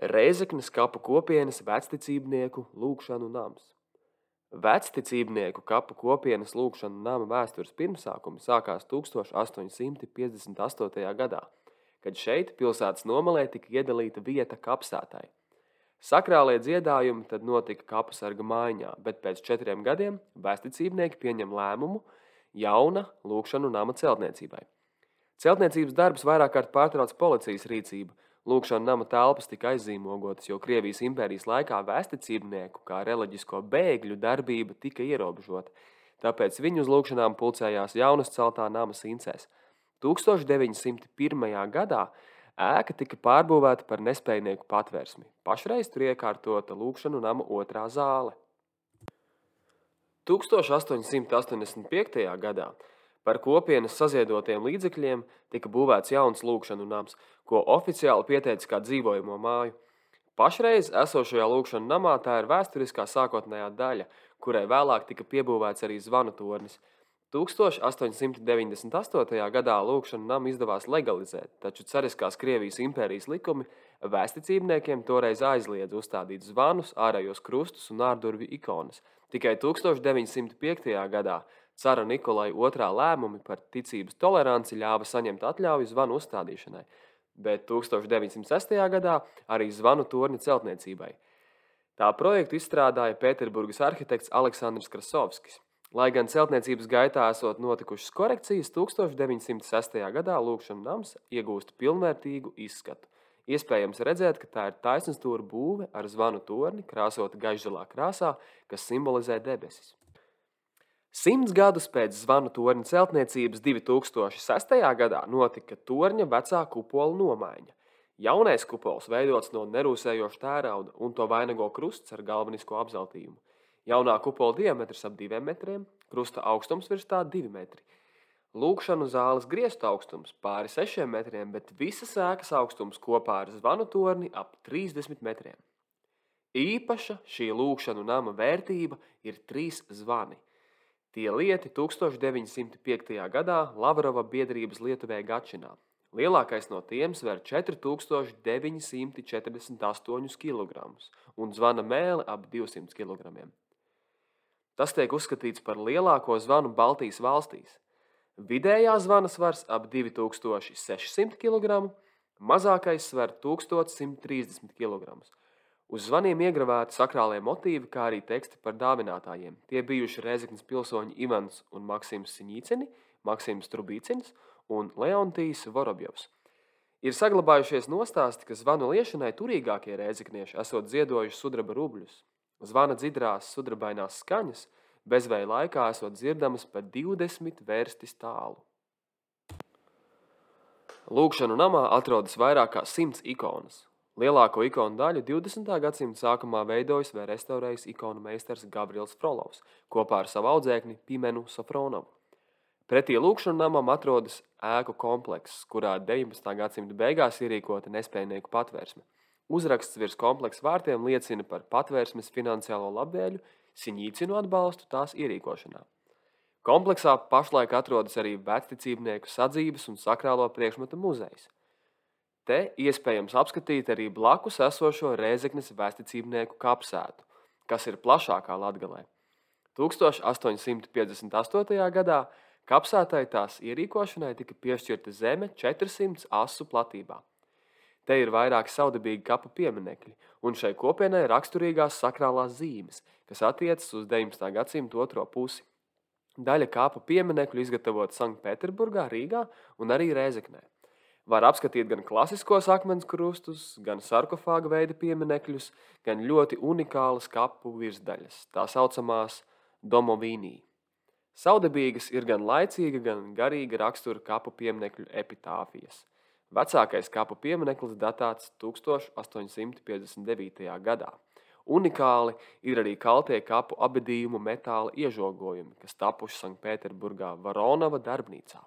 Rēzeknes kapu kopienas vecticībnieku lūgšanu nams. Vecticībnieku kapu kopienas lūgšanu nama vēstures pirmsākumi sākās 1858. gadā, kad šeit pilsētas nomalē tika iedalīta vieta kapsētai. Sakrālie dziedājumi tad notika kapusarga mājā, bet pēc 4 gadiem vecticībnieki pieņem lēmumu jauna lūgšanu nama celtniecībai. Celtniecības darbus vairāk kārt pārtrauc policijas rīcība. Lūgšanu nama telpas tika aizzīmogotas, jo Krievijas impērijas laikā vēsticībnieku, kā reliģisko bēgļu darbība tika ierobežota, tāpēc viņu uz lūgšanām pulcējās jaunas celtā nama Sincēs. 1901. gadā ēka tika pārbūvēta par nespējnieku patvērsmi. Pašreiz tur iekārtota lūgšanu nama otrā zāle. 1885. gadā par kopienas saziedotiem līdzekļiem tika būvēts jauns lūgšanu nams, ko oficiāli pieteica kā dzīvojamo māju. Pašreiz esošajā lūgšanu namā tā ir vēsturiskā sākotnējā daļa, kurai vēlāk tika piebūvēts arī zvanu tornis. 1898. gadā lūgšanu namu izdevās legalizēt, taču cariskās Krievijas impērijas likumi vēsticībniekiem toreiz aizliedz uzstādīt zvanus, ārējos krustus un ārdurvju ikonas. Tikai 1905. gadā cara Nikolai II lēmumi par ticības toleranci ļāva saņemt atļauju zvanu uzstādīšanai, bet 1906. gadā arī zvanu torņa celtniecībai. Tā projektu izstrādāja Pēterburgas arhitekts Aleksandrs Krasovskis. Lai gan celtniecības gaitā esot notikušas korekcijas, 1906. gadā lūgšanu nams iegūst pilnvērtīgu izskatu. Iespējams redzēt, ka tā ir taisnstūra būve ar zvanu torni krāsota gaišzilā krāsā, kas simbolizē debesis. 100 gadus pēc zvanu torņa celtniecības 2006. gadā notika torņa vecā kupola nomaiņa. Jaunais kupols veidots no nerūsējoša tērauda un to vainago krusts ar galvenisko apzeltījumu. Jaunā kupola diametrs ap 2 metriem, krusta augstums virs tā 2 metri. Lūgšanu zāles griestu augstums pāri 6 metriem, bet visas ēkas augstums kopā ar zvanu torni ap 30 metriem. Īpaša šī lūgšanu nama vērtība ir 3 zvani. Tie lieti 1905. gadā Lavrova biedrības lietuvē Gačinā. Lielākais no tiem sver 4948 kg un zvana mēle ap 200 kg. Tas tiek uzskatīts par lielāko zvanu Baltijas valstīs. Vidējā zvana svars ap 2600 kg, mazākais sver 1130 kg. Uz zvaniem iegravēti sakrālie motīvi, kā arī teksti par dāvinātājiem. Tie bijuši Rēzeknes pilsoņi Ivans un Maksims Siņīcini, Maksims Trubīcins un Leontijs Vorobjovs. Ir saglabājušies nostāsti, ka zvanu liešanai turīgākie rēzeknieši esot ziedojuši sudraba rubļus. Zvana dzidrās sudrabainās skaņas bezvēja laikā esot dzirdamas pa 20 vērstis tālu. Lūgšanu namā atrodas vairāk kā 100 ikonas. Lielāko ikonu daļu 20. gadsimta sākumā veidojis vai restaurējis ikonu meistars Gabriels Frolovs kopā ar savu audzēkni Pimenu Sofronovu. Pretī lūgšanu namam atrodas ēku komplekss, kurā 19. gadsimta beigās ierīkota nespējnieku patvērsme. Uzraksts virs kompleksa vārtiem liecina par patvērsmes finansiālo labvēļu Siņīcinu atbalstu tās ierīkošanā. Kompleksā pašlaik atrodas arī vecticībnieku sadzības un sakrālo priekšmetu muzejs. Te iespējams apskatīt arī blakus esošo Rēzeknes vēsticībnieku kapsētu, kas ir plašākā Latgalē. 1858. gadā kapsētai tās ierīkošanai tika piešķirta zeme 400 asu platībā. Te ir vairāki saudabīgi kapu pieminekļi, un šai kopienai raksturīgās sakrālās zīmes, kas attiecas uz 19. gadsimta otro pusi. Daļa kapu pieminekļu izgatavot Sanktpēterburgā, Rīgā un arī Rēzeknē. Var apskatīt gan klasiskos akmens krustus, gan sarkofāga veida pieminekļus, gan ļoti unikālas kapu virsdaļas, tā saucamās domovīnī. Saudabīgas ir gan laicīga, gan garīga rakstura kapu pieminekļu epitāfijas. Vecākais kapu piemineklis datāts 1859. gadā. Unikāli ir arī kaltie kapu abedījumu metāla iežogojumi, kas tapuši Sanktpēterburgā Varonova darbnīcā.